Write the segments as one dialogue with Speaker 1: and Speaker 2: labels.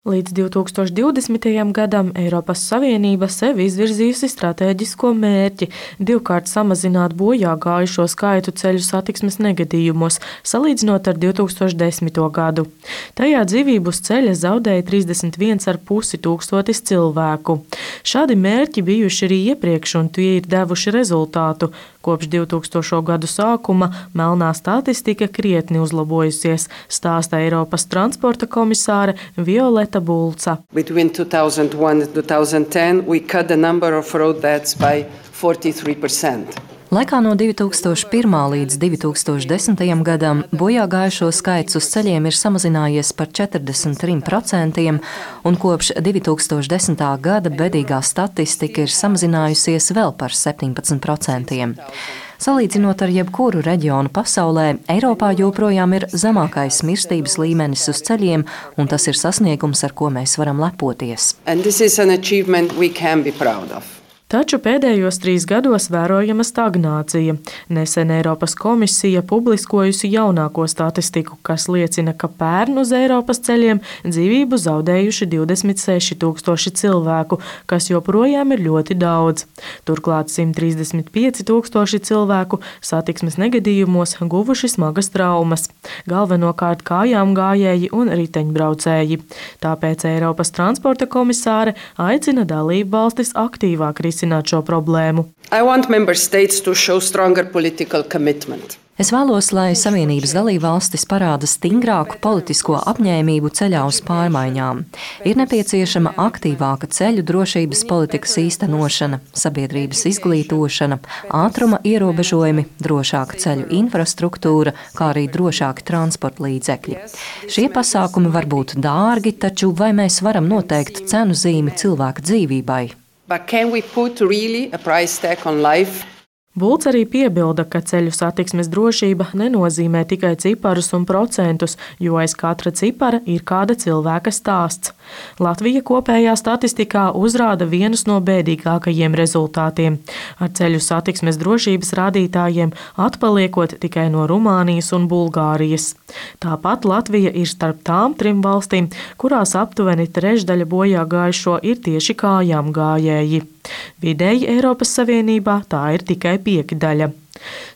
Speaker 1: Līdz 2020. gadam Eiropas Savienība sev izvirzījusi stratēģisko mērķi divkārt samazināt bojā gājušo skaitu ceļu satiksmes negadījumos, salīdzinot ar 2010. gadu. Tajā dzīvību uz ceļa zaudēja 31,5 tūkstotis cilvēku. Šādi mērķi bijuši arī iepriekš, un tie ir devuši rezultātu. Kopš 2000. gadu sākuma melnā statistika krietni uzlabojusies, stāsta Eiropas transporta komisāre Violeta Bulca.
Speaker 2: Between 2001 and 2010, we cut the number of road deaths by 43%.
Speaker 3: Laikā no 2001. līdz 2010. gadam bojā gājušo skaits uz ceļiem ir samazinājies par 43%, un kopš 2010. gada bedīgā statistika ir samazinājusies vēl par 17%. Salīdzinot ar jebkuru reģionu pasaulē, Eiropā joprojām ir zemākais mirstības līmenis uz ceļiem, un tas ir sasniegums, ar ko mēs varam lepoties.
Speaker 2: And this is an achievement we can be proud of.
Speaker 1: Taču pēdējos 3 gados vērojama stagnācija. Nesen Eiropas komisija publiskojusi jaunāko statistiku, kas liecina, ka pērn uz Eiropas ceļiem dzīvību zaudējuši 26 tūkstoši cilvēku, kas joprojām ir ļoti daudz. Turklāt 135 tūkstoši cilvēku satiksmes negadījumos guvuši smagas traumas, galvenokārt kājām gājēji un riteņbraucēji. Tāpēc Eiropas transporta komisāre aicina dalību valstis aktīvāk risināt šo problēmu.
Speaker 2: I want member states to show stronger political commitment.
Speaker 3: Es vēlos, lai Savienības dalībvalstis parāda stingrāku politisko apņēmību ceļā uz pārmaiņām. Ir nepieciešama aktīvāka ceļu drošības politikas īstenošana, sabiedrības izglītošana, ātruma ierobežojumi, drošāka ceļu infrastruktūra, kā arī drošāki transporta līdzekļi. Šie pasākumi var būt dārgi, taču vai mēs varam noteikt cenu zīmi cilvēka dzīvībai?
Speaker 2: But can we put really a price tag on life?
Speaker 1: Bulc arī piebilda, ka ceļu satiksmes drošība nenozīmē tikai ciparus un procentus, jo aiz katra cipara ir kāda cilvēka stāsts. Latvija kopējā statistikā uzrāda vienus no bēdīgākajiem rezultātiem, ar ceļu satiksmes drošības rādītājiem atpaliekot tikai no Rumānijas un Bulgārijas. Tāpat Latvija ir starp tām 3 valstīm, kurās aptuveni trešdaļa bojā gājušo ir tieši kājām gājēji. Vidēji Eiropas Savienībā tā ir tikai 5/5.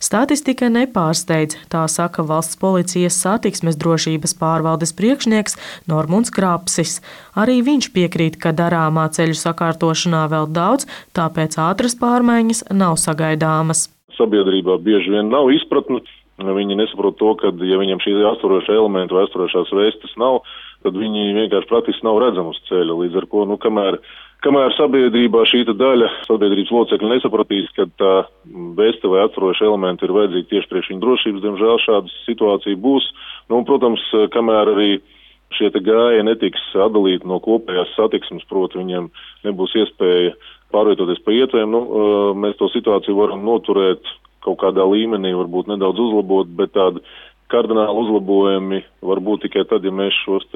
Speaker 1: Statistika nepārsteidz, tā saka valsts policijas satiksmes drošības pārvaldes priekšnieks Normunds Krapsis. Arī viņš piekrīt, ka darāmā ceļu sakārtošanā vēl daudz, tāpēc ātras pārmaiņas nav sagaidāmas.
Speaker 4: Sabiedrībā bieži vien nav izpratne. Viņi nesaprot to, ka, ja viņam šī aizturošā elementa vai aizturošās vestes nav, tad viņi vienkārši praktiski nav redzami uz ceļa. Līdz ar ko, kamēr sabiedrībā šī daļa sabiedrības locekļi nesapratīs, ka tā veste vai atturoša elementi ir vajadzīgi tieši priekš viņu drošības, diemžēl šāda situācija būs. Protams, kamēr arī šie gājēji netiks atdalīti no kopējās satiksmes, proti viņiem nebūs iespēja pārvietoties pa ietvēm, mēs to situāciju varam noturēt kaut kādā līmenī, varbūt nedaudz uzlabot, bet tādi kardināli uzlabojumi var būt tikai tad, ja mēs šos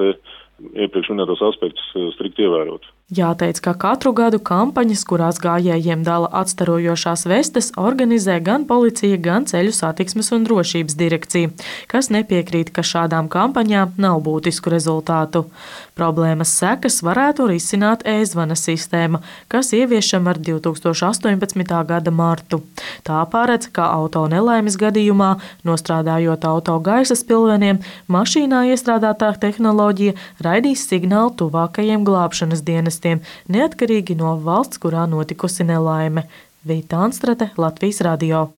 Speaker 4: iepriekš minētos aspektus strikt ievērot.
Speaker 1: Jāteic, ka katru gadu kampaņas, kurās gājējiem dala atstarojošās vestes, organizē gan policija, gan ceļu satiksmes un drošības direkcija, kas nepiekrīt, ka šādām kampaņām nav būtisku rezultātu. Problēmas sekas varētu risināt e-zvana sistēma, kas ieviešama ar 2018. gada martu. Tā paredz, ka auto nelaimes gadījumā, nostrādājot auto gaisa spilveniem, mašīnā iestrādātā tehnoloģija raidīs signālu tuvākajiem glābšanas dienestiem, neatkarīgi no valsts, kurā notikusi nelaime. Vīta Anstrate, Latvijas radio.